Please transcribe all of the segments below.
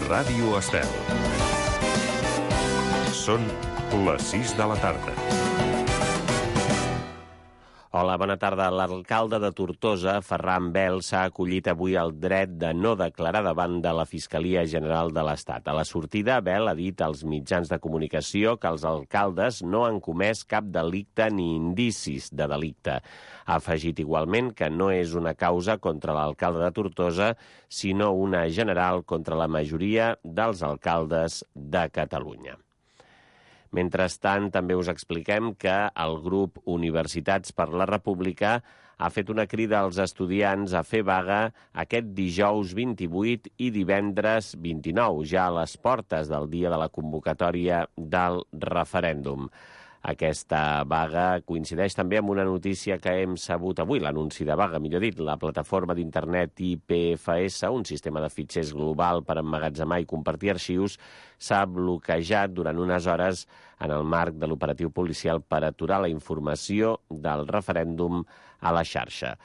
Ràdio Estel. Són les 6 de la tarda. Hola, bona tarda. L'alcalde de Tortosa, Ferran Bel, s'ha acollit avui el dret de no declarar davant de la Fiscalia General de l'Estat. A la sortida, Bel ha dit als mitjans de comunicació que els alcaldes no han comès cap delicte ni indicis de delicte. Ha afegit igualment que no és una causa contra l'alcalde de Tortosa, sinó una general contra la majoria dels alcaldes de Catalunya. Mentrestant, també us expliquem que el grup Universitats per la República ha fet una crida als estudiants a fer vaga aquest dijous 28 i divendres 29, ja a les portes del dia de la convocatòria del referèndum. Aquesta vaga coincideix també amb una notícia que hem sabut avui, l'anunci de vaga, millor dit. La plataforma d'internet IPFS, un sistema de fitxers global per emmagatzemar i compartir arxius, s'ha bloquejat durant unes hores en el marc de l'operatiu policial per aturar la informació del referèndum a la xarxa.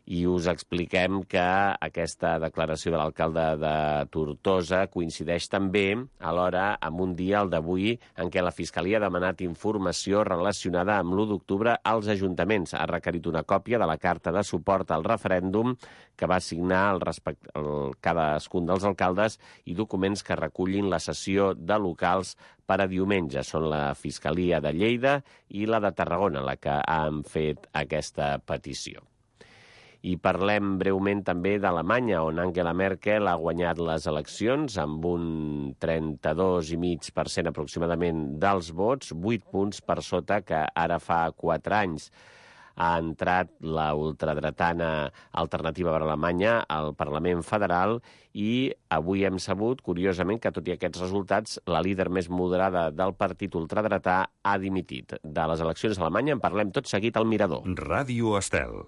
I us expliquem que aquesta declaració de l'alcalde de Tortosa coincideix també alhora amb un dia, el d'avui, en què la Fiscalia ha demanat informació relacionada amb l'1 d'octubre als ajuntaments. Ha requerit una còpia de la carta de suport al referèndum que va signar cadascun dels alcaldes i documents que recullin la cessió de locals per a diumenge. Són la Fiscalia de Lleida i la de Tarragona la que han fet aquesta petició. I parlem breument també d'Alemanya, on Angela Merkel ha guanyat les eleccions amb un 32,5% aproximadament dels vots, 8 punts per sota que ara fa 4 anys. Ha entrat la ultradretana Alternativa per Alemanya al Parlament Federal i avui hem sabut, curiosament, que tot i aquests resultats, la líder més moderada del partit ultradretà ha dimitit. De les eleccions a Alemanya en parlem tot seguit al Mirador. Ràdio Estel.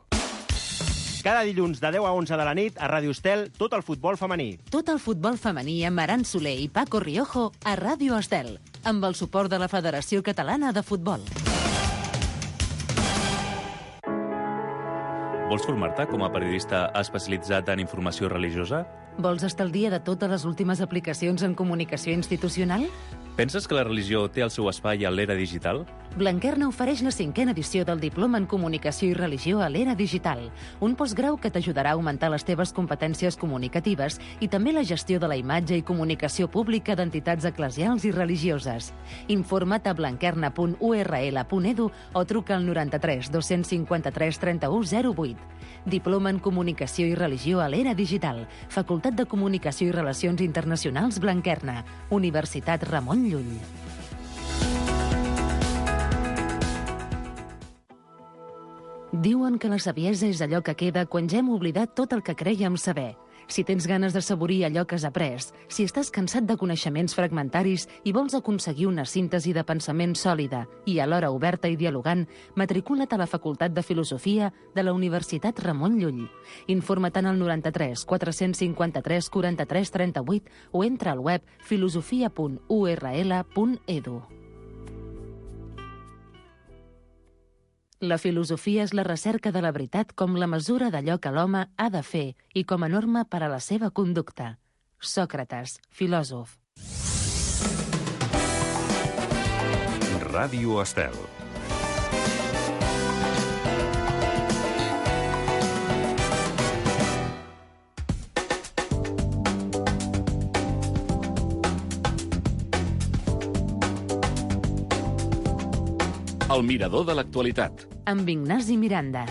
Cada dilluns de 10 a 11 de la nit a Ràdio Estel, tot el futbol femení. Tot el futbol femení amb Aran Soler i Paco Riojo a Ràdio Estel, amb el suport de la Federació Catalana de Futbol. Vols formar-te com a periodista especialitzat en informació religiosa? Vols estar al dia de totes les últimes aplicacions en comunicació institucional? Penses que la religió té el seu espai a l'era digital? Blanquerna ofereix la 5a edició del Diploma en Comunicació i Religió a l'era digital, un postgrau que t'ajudarà a augmentar les teves competències comunicatives i també la gestió de la imatge i comunicació pública d'entitats eclesials i religioses. Informa't a blanquerna.url.edu o truca al 93 253 31 08. Diploma en Comunicació i Religió a l'era digital, Facultat de Comunicació i Relacions Internacionals Blanquerna, Universitat Ramon Llull. Diuen que la saviesa és allò que queda quan ja hem oblidat tot el que crèiem saber. Si tens ganes d'assaborir allò que has après, si estàs cansat de coneixements fragmentaris i vols aconseguir una síntesi de pensament sòlida i alhora oberta i dialogant, matricula't a la Facultat de Filosofia de la Universitat Ramon Llull. Informa't al 93 453 43 38 o entra al web filosofia.url.edu. La filosofia és la recerca de la veritat com la mesura d'allò que l'home ha de fer i com a norma per a la seva conducta. Sòcrates, filòsof. Ràdio Estel. El Mirador de l'actualitat. Amb Ignasi Miranda.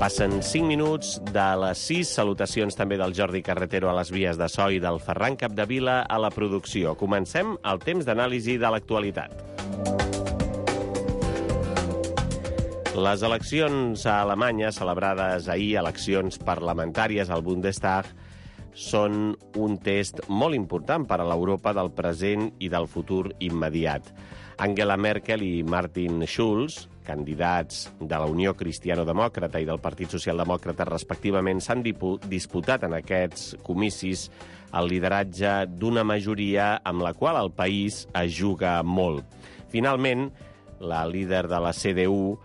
Passen 5 minuts de les 6. Salutacions també del Jordi Carretero a les vies de so i del Ferran Capdevila a la producció. Comencem el temps d'anàlisi de l'actualitat. Les eleccions a Alemanya, celebrades ahir, eleccions parlamentàries al Bundestag, són un test molt important per a l'Europa del present i del futur immediat. Angela Merkel i Martin Schulz, candidats de la Unió Cristiano-Demòcrata i del Partit Socialdemòcrata respectivament, s'han disputat en aquests comicis el lideratge d'una majoria amb la qual el país es juga molt. Finalment, la líder de la CDU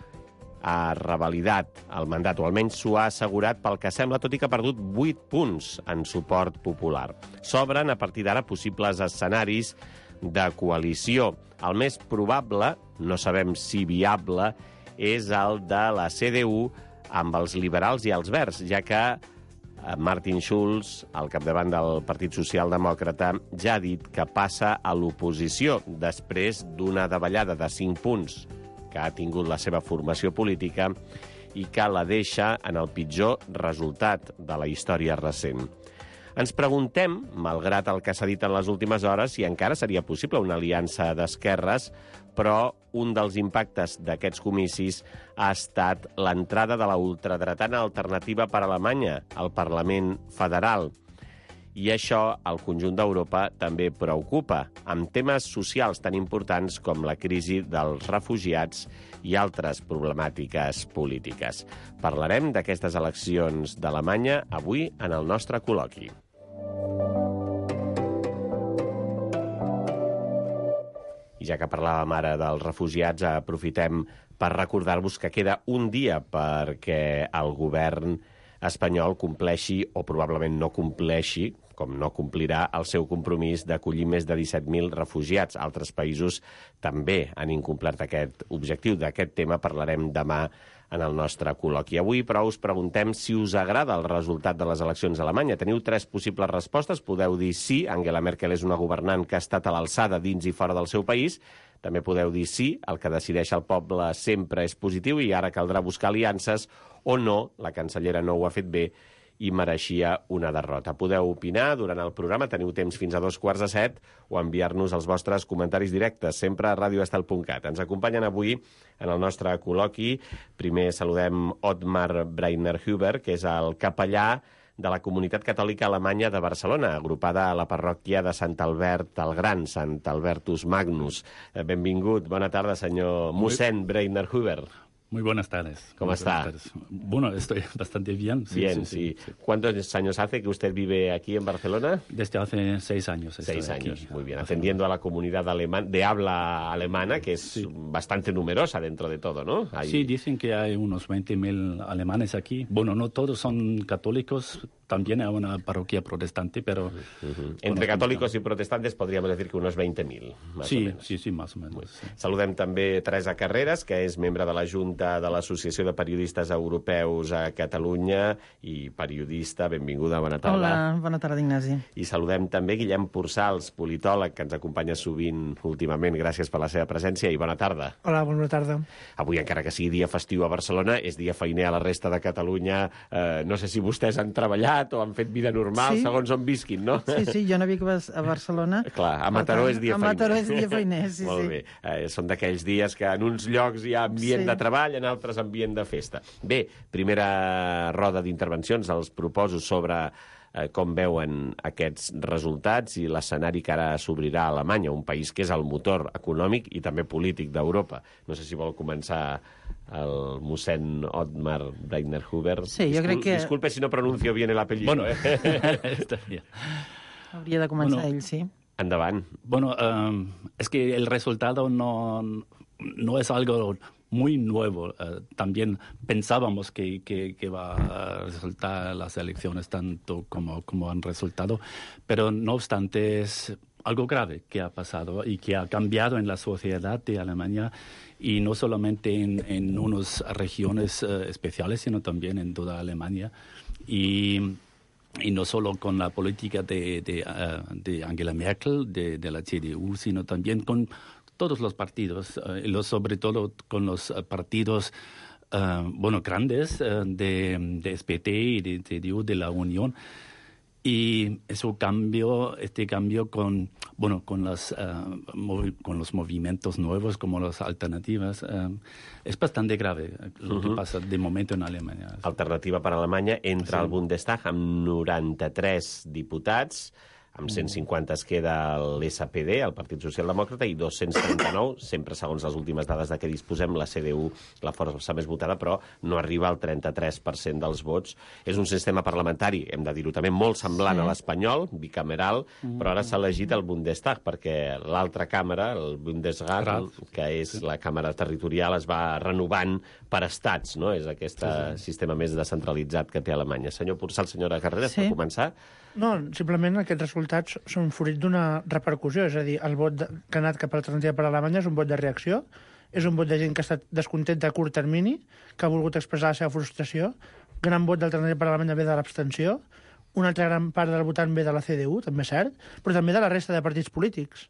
ha revalidat el mandat, o almenys s'ho ha assegurat pel que sembla, tot i que ha perdut 8 punts en suport popular. S'obren a partir d'ara possibles escenaris de coalició. El més probable, no sabem si viable, és el de la CDU amb els liberals i els verds, ja que Martin Schulz, al capdavant del Partit Socialdemòcrata, ja ha dit que passa a l'oposició després d'una davallada de 5 punts que ha tingut la seva formació política i que la deixa en el pitjor resultat de la història recent. Ens preguntem, malgrat el que s'ha dit en les últimes hores, si encara seria possible una aliança d'esquerres, però un dels impactes d'aquests comicis ha estat l'entrada de la ultradretana alternativa per a Alemanya al Parlament Federal. I això al conjunt d'Europa també preocupa, amb temes socials tan importants com la crisi dels refugiats i altres problemàtiques polítiques. Parlarem d'aquestes eleccions d'Alemanya avui en el nostre col·loqui. I ja que parlàvem ara dels refugiats, aprofitem per recordar-vos que queda un dia perquè el govern espanyol compleixi, o probablement no compleixi, com no complirà el seu compromís d'acollir més de 17.000 refugiats. Altres països també han incomplert aquest objectiu. D'aquest tema parlarem demà en el nostre col·loqui. Avui, però, us preguntem si us agrada el resultat de les eleccions a Alemanya. Teniu 3 possibles respostes. Podeu dir sí, Angela Merkel és una governant que ha estat a l'alçada dins i fora del seu país. També podeu dir sí, el que decideix el poble sempre és positiu i ara caldrà buscar aliances, o no, la cancellera no ho ha fet bé i mereixia una derrota. Podeu opinar durant el programa, teniu temps fins a 6:45, o enviar-nos els vostres comentaris directes, sempre a radioestel.cat. Ens acompanyen avui en el nostre col·loqui. Primer saludem Ottmar Breitner-Huber, que és el capellà de la Comunitat Catòlica Alemanya de Barcelona, agrupada a la parròquia de Sant Albert el Gran, Sant Albertus Magnus. Benvingut, bona tarda, senyor mossèn Breitner-Huber. Muy buenas tardes. ¿Cómo está? Bueno, estoy bastante bien. Bien, sí. ¿Cuántos años hace que usted vive aquí en Barcelona? Desde hace 6 años. 6 años, aquí, muy bien. Atendiendo a la comunidad de habla alemana, que es bastante numerosa dentro de todo, ¿no? Sí, dicen que hay unos 20.000 alemanes aquí. Bueno, no todos son católicos, también hay una parroquia protestante, pero... Entre católicos y protestantes podríamos decir que unos 20.000, más o menos. Sí, más o menos. Sí. Saludem també Teresa Carreras, que és membre de la Junta de l'Associació de Periodistes Europeus a Catalunya i periodista. Benvinguda, bona tarda. Hola, bona tarda, Ignasi. I saludem també Guillem Porçals, politòleg, que ens acompanya sovint últimament. Gràcies per la seva presència i bona tarda. Hola, bona tarda. Avui, encara que sigui dia festiu a Barcelona, és dia feiner a la resta de Catalunya. No sé si vostès han treballat o han fet vida normal, segons on visquin, no? Sí, jo no vic a Barcelona. Clar, a Mataró és dia feiner. A Mataró és dia feiner, sí. Molt bé. Són d'aquells dies que en uns llocs hi ha ambient de treball, en altres ambient de festa. Bé, primera roda d'intervencions, els proposo sobre com veuen aquests resultats i l'escenari que ara s'obrirà a Alemanya, un país que és el motor econòmic i també polític d'Europa. No sé si vol començar el mossèn Ottmar Breitner-Huber. Sí, jo crec que... Disculpe si no pronuncio bien el apellido. Bueno, está bien. Hauria de començar ell, sí. Endavant. Bueno, es que el resultado no es algo muy nuevo. También pensábamos que va a resultar las elecciones tanto como han resultado, pero no obstante es algo grave que ha pasado y que ha cambiado en la sociedad de Alemania, y no solamente en unas regiones especiales, sino también en toda Alemania. Y no solo con la política de Angela Merkel, de la CDU, sino también con todos los partidos, sobre todo con los partidos grandes de SPT y de CDU de la Unión. Y este cambio con los movimientos nuevos como las alternativas es bastante grave lo que pasa de momento en Alemanya. Alternativa per Alemanya entra al Bundestag amb 93 diputats, amb 150 es queda l'SPD, el Partit Socialdemòcrata, i 239, sempre segons les últimes dades de què disposem, la CDU, la força més votada, però no arriba al 33% dels vots. És un sistema parlamentari, hem de dir-ho també, molt semblant a l'espanyol, bicameral, però ara s'ha elegit el Bundestag, perquè l'altra càmera, el Bundesrat, que és la càmera territorial, es va renovant per estats, no? És aquest sistema més descentralitzat que té Alemanya. Senyor Pursal, senyora Carreras, per començar... No, simplement aquests resultats són fruit d'una repercussió, és a dir, el vot que ha anat cap a l'alternativa per Alemanya és un vot de reacció, és un vot de gent que ha estat descontent a curt termini, que ha volgut expressar la seva frustració, gran vot d'alternativa per Alemanya ve de l'abstenció, una altra gran part del votant ve de la CDU, també és cert, però també de la resta de partits polítics.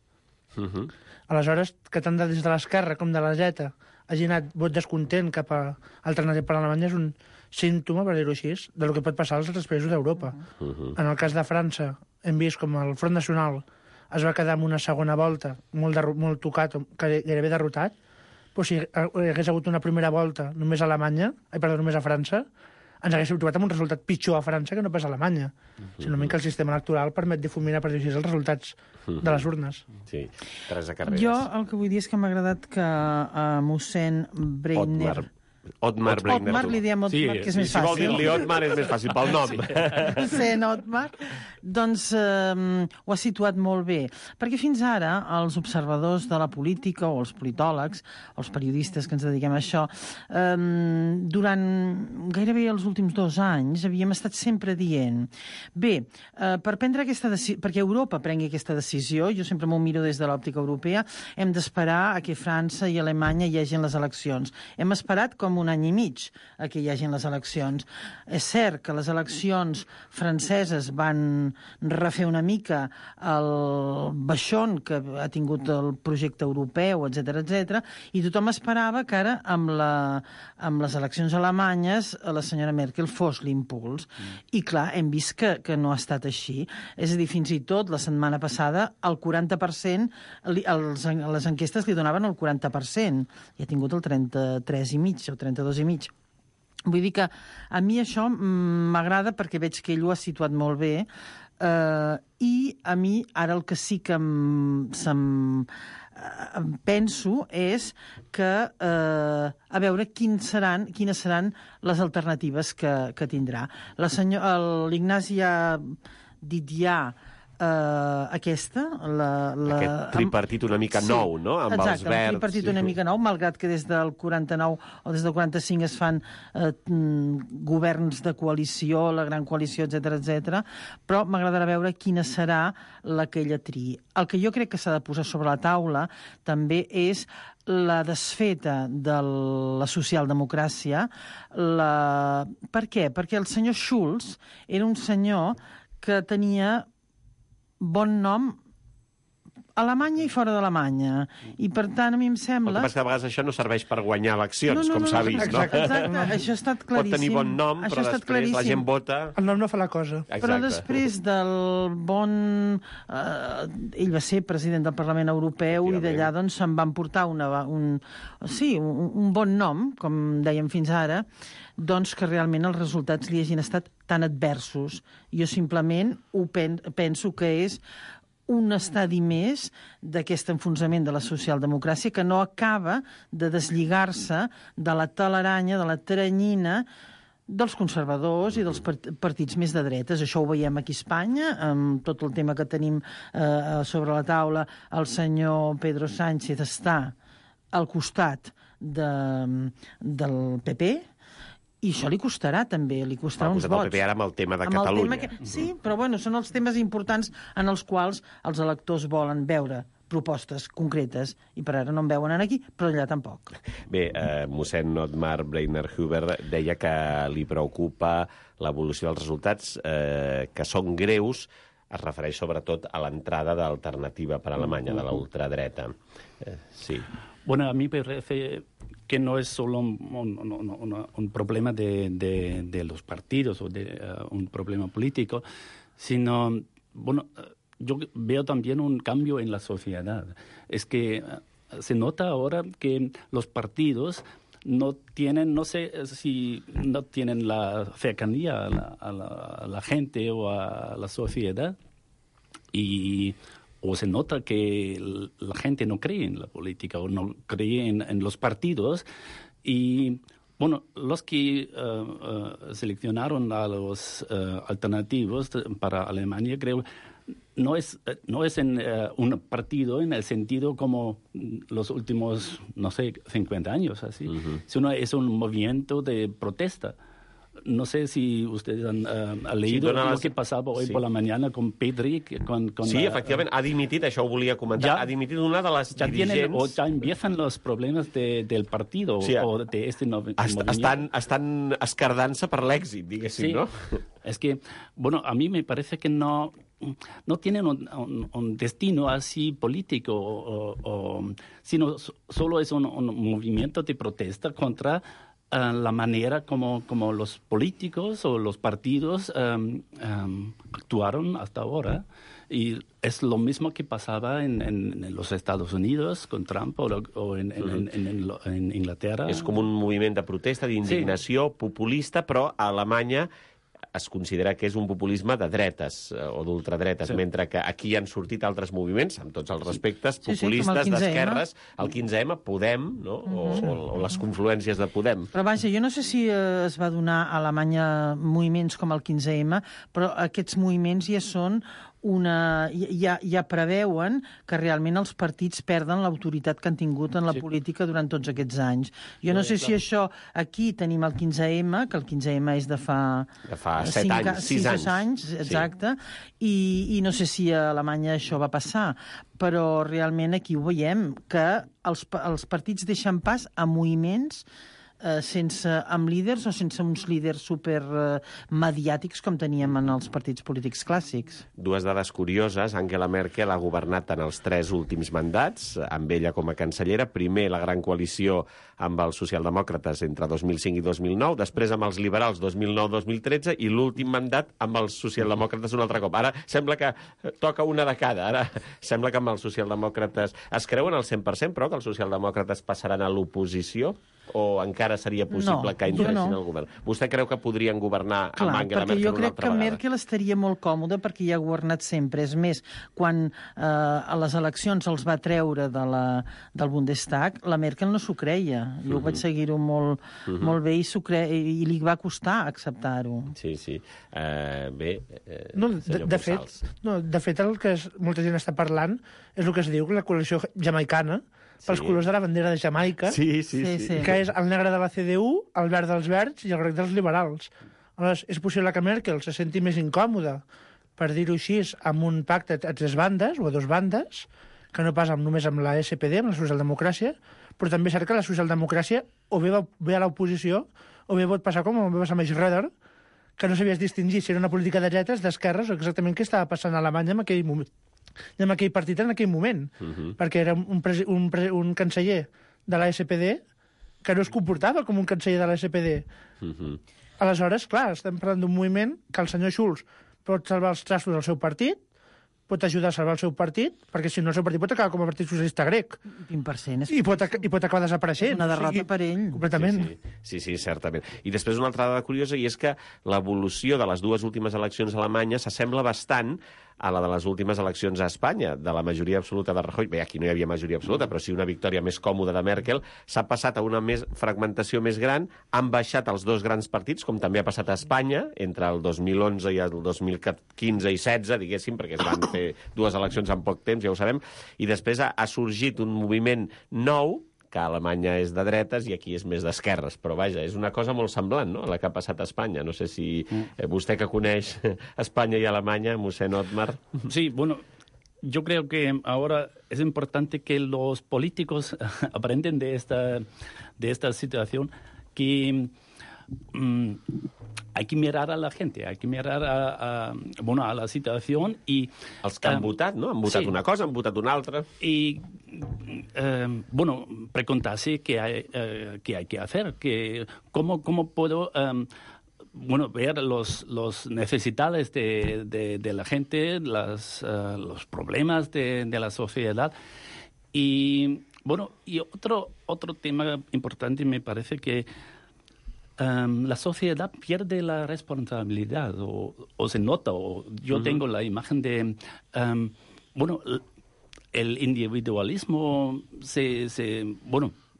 Aleshores, que tant des de l'esquerra com de la dreta hagi anat vot descontent cap a alternativa per Alemanya és un símptoma, per dir-ho així, del que pot passar als altres països d'Europa. En el cas de França, hem vist com el Front Nacional es va quedar en una segona volta molt tocat, gairebé derrotat, però si hagués hagut una primera volta només a només a França, ens haguéssim trobat amb un resultat pitjor a França que no pas a Alemanya. Sinó que el sistema electoral permet difuminar, per dir-ho així, els resultats de les urnes. Sí, Teresa Carreras. Jo el que vull dir és que m'ha agradat que mossèn Breitner... Otmar Breitner. Otmar, li diem Otmar, que és més fàcil. Si vol dir-li Otmar és més fàcil, pel nom. Mossèn Otmar, doncs ho ha situat molt bé. Perquè fins ara els observadors de la política, o els politòlegs, o els periodistes que ens dediquem a això, durant gairebé els últims 2 anys havíem estat sempre dient per prendre aquesta decisió, perquè Europa prengui aquesta decisió, jo sempre m'ho miro des de l'òptica europea, hem d'esperar a que França i Alemanya hi hagin les eleccions. Hem esperat com un any i mig a que hi hagin les eleccions. És cert que les eleccions franceses van refer una mica el baixón que ha tingut el projecte europeu, etc, i tothom esperava que ara, amb les eleccions alemanyes, la senyora Merkel fos l'impuls. I clar, hem vist que no ha estat així. És a dir, fins i tot la setmana passada el 40%, les enquestes li donaven el 40%, i ha tingut el 33,5% o 32,5%. Vull dir que a mi això m'agrada perquè veig que ell ho ha situat molt bé, i a mi ara el que sí que penso és que a veure quines seran les alternatives que tindrà. L'Ignasi ha dit ja aquest tripartit una mica nou, no? Amb els verds. Exacte, el tripartit una mica nou, malgrat que des del 49 o des del 45 es fan governs de coalició, la gran coalició, etc, però m'agradarà veure quina serà la que ella triï. El que jo crec que s'ha de posar sobre la taula també és la desfeta de la socialdemocràcia. Per què? Perquè el senyor Schulz era un senyor que tenia bon nom a Alemanya i fora d'Alemanya. I, per tant, a mi em sembla... El que passa que a vegades això no serveix per guanyar eleccions, com s'ha vist, no? Exacte, això ha estat claríssim. Pot tenir bon nom, però després la gent vota... El nom no fa la cosa. Però després del bon... Ell va ser president del Parlament Europeu i d'allà doncs se'n van portar un bon nom, com dèiem fins ara, doncs que realment els resultats li hagin estat tan adversos. Jo simplement penso que és un estadi més d'aquest enfonsament de la socialdemocràcia que no acaba de deslligar-se de la telaranya, de la teranyina dels conservadors i dels partits més de dretes. Això ho veiem aquí a Espanya, amb tot el tema que tenim sobre la taula. El senyor Pedro Sánchez està al costat del PP, i això li costarà, també, li costarà uns vots. El PP ara amb el tema de Catalunya. Sí, però bueno, són els temes importants en els quals els electors volen veure propostes concretes, i per ara no en veuen aquí, però allà tampoc. Bé, mossèn Otmar Breitner-Huber deia que li preocupa l'evolució dels resultats, que són greus, es refereix sobretot a l'entrada d'Alternativa per Alemanya, de la ultradreta. Sí. Bueno, a mí me parece que no es solo un problema de los partidos o de un problema político, sino, bueno, yo veo también un cambio en la sociedad. Es que se nota ahora que los partidos no tienen, no sé si no tienen la cercanía a la gente o a la sociedad, o se nota que la gente no cree en la política o no cree en los partidos. Y bueno, los que seleccionaron a los alternativos para Alemania, creo, no es en un partido en el sentido como los últimos, no sé, 50 años, así, sino es un movimiento de protesta. No sé si ustedes han leído lo que pasaba hoy por la mañana con Pedri. Sí, efectivament, ha dimitit, això ho volia comentar, ha dimitit una de les dirigents... Ya empiezan los problemas del partido o de este movimiento. Estan escardant-se per l'èxit, diguéssim, ¿no? Es que, bueno, a mí me parece que no tienen un destino así político, sino solo es un movimiento de protesta contra la manera como los políticos o los partidos actuaron hasta ahora. Y es lo mismo que pasaba en los Estados Unidos con Trump o en Inglaterra. És com un moviment de protesta, d'indignació populista, però a Alemanya es considera que és un populisme de dretes o d'ultradretes, mentre que aquí han sortit altres moviments, amb tots els respectes, populistes, d'esquerres, el 15M, Podem, no? O les confluències de Podem. Però vaja, jo no sé si es va donar a Alemanya moviments com el 15M, però aquests moviments ja són ja preveuen que realment els partits perden l'autoritat que han tingut en la política durant tots aquests anys. Jo no sé si això... Aquí tenim el 15M, que el 15M és de fa 6 anys, exacte, i no sé si a Alemanya això va passar, però realment aquí ho veiem, que els partits deixen pas a moviments amb líders o sense uns líders supermediàtics com teníem en els partits polítics clàssics. Dues dades curioses. Angela Merkel ha governat en els 3 últims mandats, amb ella com a cancellera. Primer la gran coalició amb els socialdemòcrates entre 2005 i 2009, després amb els liberals 2009-2013 i l'últim mandat amb els socialdemòcrates un altre cop. Ara sembla que toca una de cada. Ara sembla que amb els socialdemòcrates es creuen al 100%, però que els socialdemòcrates passaran a l'oposició o encara seria possible que entressin al govern? Vostè creu que podrien governar amb Angela Merkel una altra vegada? Jo crec que Merkel estaria molt còmoda perquè ja ha governat sempre. És més, quan a les eleccions els va treure del Bundestag, la Merkel no s'ho creia. Jo vaig seguir-ho molt bé i li va costar acceptar-ho. Sí. Bé, de fet, el que molta gent està parlant és el que es diu la coalició jamaicana, pels colors de la bandera de Jamaica, que és el negre de la CDU, el verd dels verds i el groc dels liberals. Aleshores, és possible que Merkel se senti més incòmoda, per dir-ho així, amb un pacte a 3 bandes o a 2 bandes, que no pas només amb la SPD, amb la socialdemocràcia, però també és cert que la socialdemocràcia o ve a l'oposició o bé pot passar com va passar amb Schröder, que no sabies distingir si era una política de dretes, d'esquerres, o exactament què estava passant a Alemanya en aquell moment. I amb aquell partit en aquell moment, perquè era un canceller de la SPD que no es comportava com un canceller de la SPD. Aleshores, clar, estem parlant d'un moviment que el senyor Schulz pot salvar els trastos del seu partit, pot ajudar a salvar el seu partit, perquè si no el seu partit pot acabar com a Partit Socialista Grec. 20%. I pot acabar desapareixent. Una derrota per ell. Completament. Sí, certament. I després una altra dada curiosa, i és que l'evolució de les 2 últimes eleccions a Alemanya s'assembla bastant a la de les últimes eleccions a Espanya, de la majoria absoluta de Rajoy. Bé, aquí no hi havia majoria absoluta, però sí una victòria més còmoda de Merkel. S'ha passat a una fragmentació més gran, han baixat els 2 grans partits, com també ha passat a Espanya, entre el 2011 i el 2015 i 16, diguéssim, perquè es van fer 2 eleccions en poc temps, ja ho sabem, i després ha sorgit un moviment nou, que a Alemanya és de dretes i aquí és més d'esquerres. Però vaja, és una cosa molt semblant, no?, a la que ha passat a Espanya. No sé si vostè que coneix Espanya i Alemanya, mossèn Otmar... Sí, bueno, yo creo que ahora es importante que los políticos aprenden de esta situación, que hay que mirar a la gente, hay que mirar a la situación y... Els que han votat, ¿no? Han votat una cosa, han votat una altra. Y, preguntarse qué hay que hacer, cómo puedo... ver los necesidades de la gente, los problemas de la sociedad. Y otro tema importante me parece que la sociedad pierde la responsabilidad o se nota, o yo tengo la imagen de, el individualismo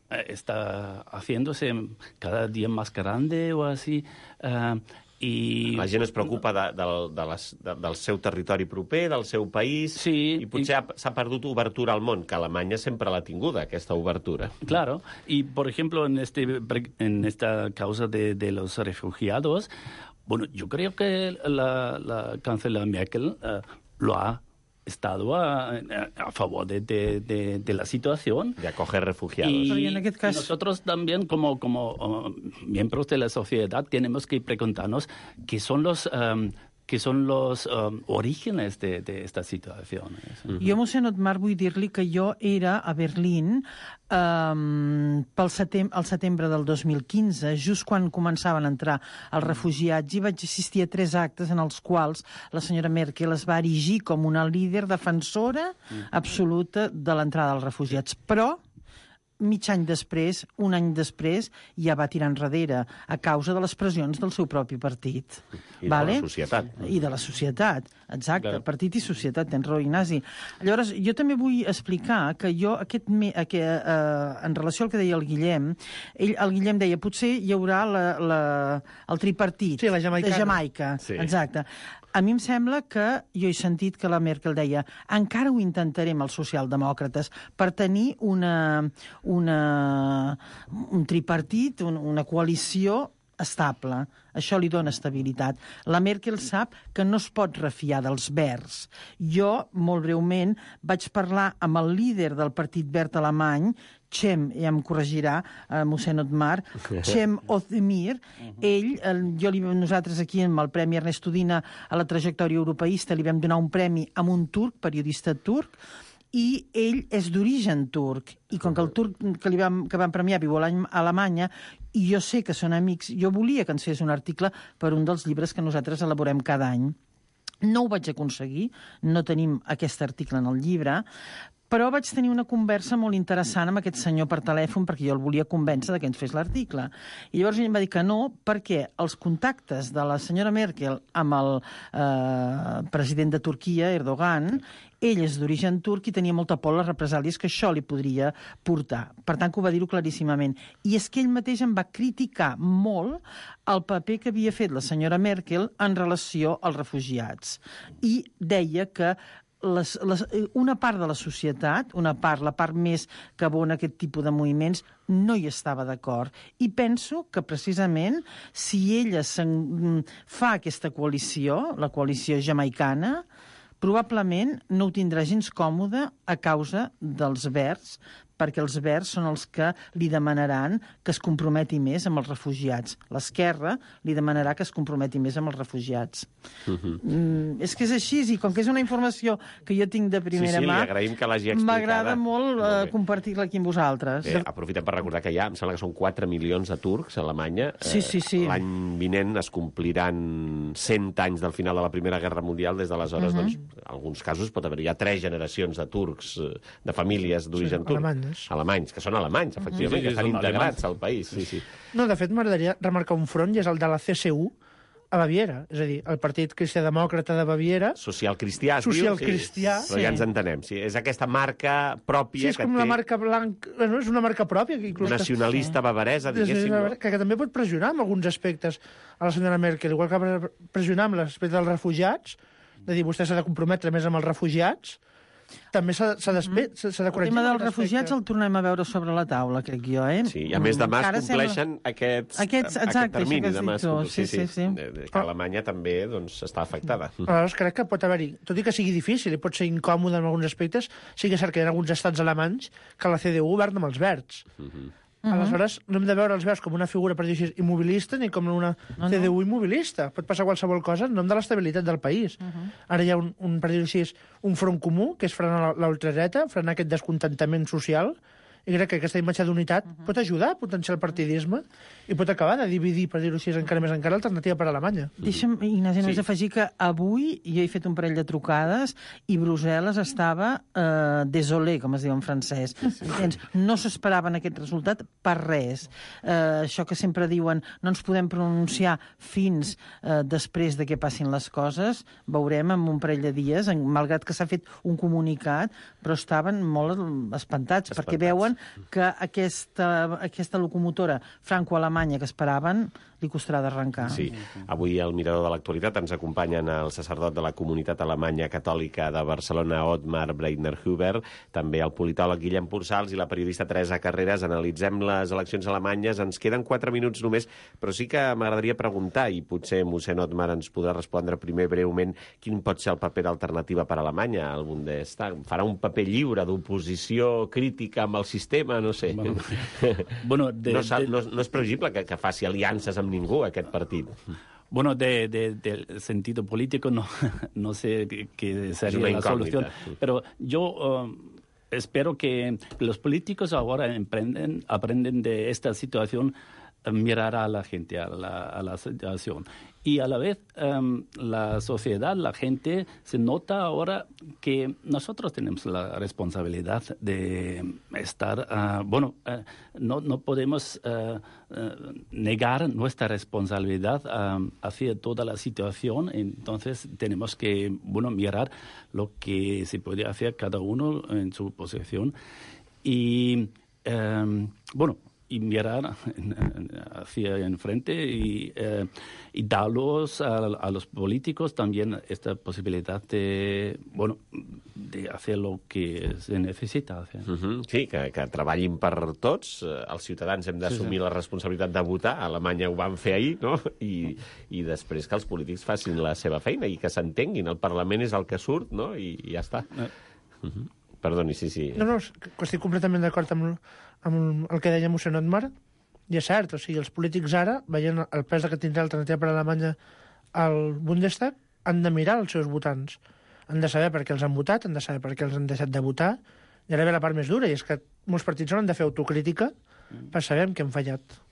está haciéndose cada dia més grande o així. La gent es preocupa del seu territori proper, del seu país, i potser s'ha perdut obertura al món, que Alemanya sempre l'ha tinguda, aquesta obertura. Claro, y por ejemplo, en esta causa de los refugiados, yo creo que la canciller Merkel lo ha estado a favor de la situación. De acoger refugiados. Y en aquest cas... nosotros también, como miembros de la sociedad, tenemos que preguntarnos qué son los orígenes de estas situaciones. Jo, mossèn Otmar, vull dir-li que jo era a Berlín al setembre del 2015, just quan començaven a entrar els refugiats, i vaig assistir a 3 actes en els quals la senyora Merkel es va erigir com una líder defensora absoluta de l'entrada dels refugiats. Però mig any després, un any després, ja va tirar enrere a causa de les pressions del seu propi partit. I de la societat. I de la societat, exacte. Claro. Partit i societat, tens raó, Ignasi. Llavors, jo també vull explicar que jo, en relació al que deia el Guillem, el Guillem deia, potser hi haurà el tripartit la de Jamaica. Sí. Exacte. A mi em sembla que jo he sentit que la Merkel deia encara ho intentarem els socialdemòcrates per tenir un tripartit, una coalició estable. Això li dona estabilitat. La Merkel sap que no es pot refiar dels verds. Jo, molt breument, vaig parlar amb el líder del Partit Verd alemany, Cem, ja em corregirà, mossèn Otmar, Cem Özdemir. Nosaltres aquí amb el Premi Ernesto Udina a la trajectòria europeista li vam donar un premi a un turc, periodista turc, i ell és d'origen turc. I com que el turc que van premiar viu a Alemanya, i jo sé que són amics, jo volia que ens fes un article per un dels llibres que nosaltres elaborem cada any. No ho vaig aconseguir, no tenim aquest article en el llibre, però vaig tenir una conversa molt interessant amb aquest senyor per telèfon perquè jo el volia convèncer que ens fes l'article. I llavors ell em va dir que no, perquè els contactes de la senyora Merkel amb el president de Turquia, Erdogan, ell és d'origen turc i tenia molta por a les represàlies que això li podria portar. Per tant, que ho va dir-ho claríssimament. I és que ell mateix em va criticar molt el paper que havia fet la senyora Merkel en relació als refugiats. I deia que una part de la societat, la part més que abona aquest tipus de moviments, no hi estava d'acord. I penso que precisament si ella fa aquesta coalició, la coalició jamaicana, probablement no ho tindrà gens còmode a causa dels verds, perquè els verds són els que li demanaran que es comprometi més amb els refugiats. L'esquerra li demanarà que es comprometi més amb els refugiats. És que és així, i com que és una informació que jo tinc de primera mà, m'agrada molt compartir-la aquí amb vosaltres. Bé, aprofitem per recordar que em sembla que són 4 milions de turcs a Alemanya. Sí. L'any vinent es compliran 100 anys del final de la Primera Guerra Mundial. Des d'aleshores, doncs, en alguns casos pot haver-hi 3 generacions de turcs, de famílies d'origen turc. Alemanys, que són alemanys, efectivament, que estan integrats al país. No, de fet, m'agradaria remarcar un front, i és el de la CSU a Baviera, és a dir, el Partit Cristià-Demòcrata de Baviera. Social-cristià, Social-cristià. Però ja ens entenem. És aquesta marca pròpia que té... Sí, és com la marca blanca... És una marca pròpia. Nacionalista bavaresa, diguéssim. Que també pot pressionar en alguns aspectes a la senyora Merkel, igual que va pressionar amb l'aspecte dels refugiats, de dir, vostè s'ha de comprometre més amb els refugiats, també s'ha de corregir. El tema dels refugiats el tornem a veure sobre la taula, crec jo, Sí, i a més demà es compleixen aquest termini. Que Alemanya també està afectada. Aleshores, crec que pot haver-hi, tot i que sigui difícil i pot ser incòmode en alguns aspectes, sí que és cert que hi ha alguns estats alemanys que la CDU governa amb els verds. Aleshores, no hem de veure els veus com una figura, per dir així, immobilista ni com una CDU immobilista. Pot passar qualsevol cosa en nom de l'estabilitat del país. Ara hi ha per dir així, un front comú, que és frenar l'ultradreta, frenar aquest descontentament social, i crec que aquesta imatge d'unitat pot ajudar a potenciar el partidisme i pot acabar de dividir, per dir-ho així, encara més encara l'alternativa per Alemanya. Deixa'm, Ignasi, només afegir que avui jo he fet un parell de trucades i Brussel·les estava désolé, com es diu en francès. No s'esperaven aquest resultat per res. Això que sempre diuen no ens podem pronunciar fins després de que passin les coses, veurem en un parell de dies, malgrat que s'ha fet un comunicat, però estaven molt espantats. Perquè veuen que aquesta locomotora franco-alemanya que esperaven li costarà d'arrencar. Sí. Avui al Mirador de l'Actualitat ens acompanyen el sacerdot de la comunitat alemanya catòlica de Barcelona, Otmar Breitner-Huber, també el politòleg Guillem Pursals i la periodista Teresa Carreras. Analitzem les eleccions alemanyes. Ens queden 4 minuts només, però sí que m'agradaria preguntar, i potser mossèn Otmar ens podrà respondre primer breument, quin pot ser el paper d'alternativa per a Alemanya al Bundestag? Farà un paper lliure d'oposició crítica amb el sistema? No sé. Bueno, no és previsible que faci aliances amb ningú, aquest partit. Bueno, del sentido político no sé qué sería la solución, pero yo espero que los políticos ahora aprenden de esta situación, mirar a la gente, a la situación. Y a la vez la sociedad, la gente, se nota ahora que nosotros tenemos la responsabilidad de estar... no podemos negar nuestra responsabilidad hacia toda la situación. Entonces tenemos que mirar lo que se puede hacer cada uno en su posición. Y y mirar hacia enfrente y darlos a los políticos también esta posibilidad de hacer lo que se necesita hacer. Sí, que treballin per tots. Els ciutadans hem d'assumir la responsabilitat de votar. A Alemanya ho van fer ahir, no? I després que els polítics facin la seva feina i que s'entenguin. El Parlament és el que surt, no? I ja està. Perdoni, sí. No, estic completament d'acord amb el que deia mossèn Otmar, i és cert, o sigui, els polítics ara, veient el pes que tindrà l'alternativa per a Alemanya al Bundestag, han de mirar els seus votants. Han de saber per què els han votat, han de saber per què els han deixat de votar, i ara ve la part més dura, i és que molts partits han de fer autocrítica per saber en què han fallat.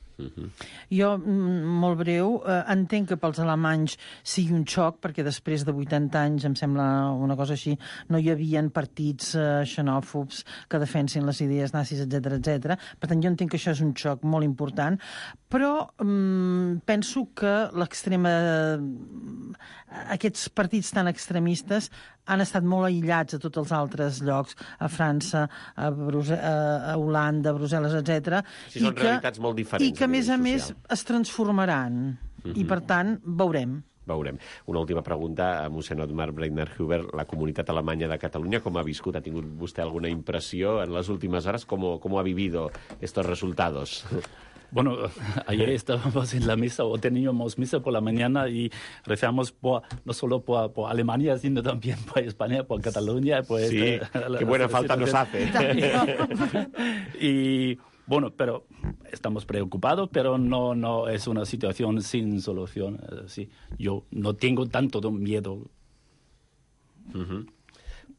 Jo, molt breu, entenc que pels alemanys sigui un xoc, perquè després de 80 anys, em sembla una cosa així, no hi havia partits xenòfobs que defensin les idees nazis, etc. Per tant, jo entenc que això és un xoc molt important, però penso que aquests partits tan extremistes han estat molt aïllats a tots els altres llocs, a França, a Holanda, a Brussel·les, etc. Sí, són realitats molt diferents. I que, a més, es transformaran. I, per tant, veurem. Una última pregunta a mossèn Otmar Breitner-Huber. La comunitat alemanya de Catalunya, com ha viscut? Ha tingut vostè alguna impressió en les últimes hores? ¿Cómo ha vivido estos resultados? Bueno, ayer estábamos en la misa, o teníamos misa por la mañana y rezamos no solo por Alemania, sino también por España, por Cataluña. Sí, qué buena falta nos hace. Y pero estamos preocupados, pero no es una situación sin solución. Sí, yo no tengo tanto miedo.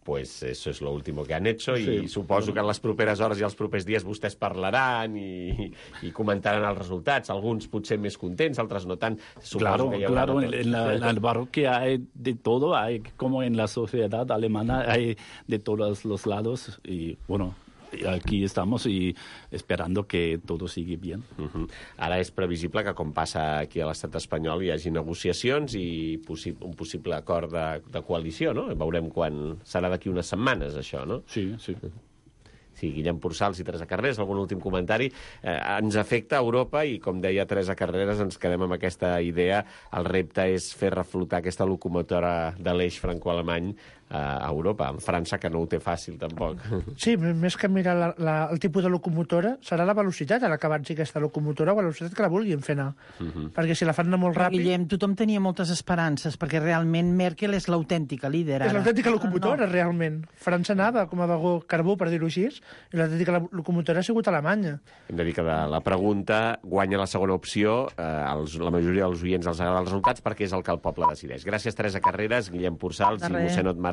Pues eso es lo último que han hecho y suposo que en les properes hores i els propers dies vostès parlaran i comentaran els resultats. Alguns potser més contents, altres no tant. Claro, en la parroquia hay de todo, hay como en la sociedad alemana, hay de todos los lados y aquí estamos y esperando que todo sigui bien. Ara és previsible que, com passa aquí a l'estat espanyol, hi hagi negociacions i un possible acord de coalició, no? Veurem quan serà d'aquí unes setmanes, això, no? Sí. Sí, Guillem Pursals i Teresa Carreras, algun últim comentari. Ens afecta a Europa i, com deia Teresa Carreras, ens quedem amb aquesta idea. El repte és fer reflotar aquesta locomotora de l'eix franco-alemany a Europa. En França, que no ho té fàcil, tampoc. Sí, més que mirar el tipus de locomotora, serà la velocitat a la que avanci aquesta locomotora o la velocitat que la vulguin fer anar. Perquè si la fan anar molt ràpid... Guillem, tothom tenia moltes esperances, perquè realment Merkel és l'autèntica líder. És l'autèntica locomotora, realment. França anava com a vagó carbó, per dir-ho així, i l'autèntica locomotora ha sigut Alemanya. Hem de dir que de la pregunta guanya la segona opció. La majoria dels oients els agrada els resultats perquè és el que el poble decideix. Gràcies, Teresa Carreras, Guillem Porçals i mossèn Otmar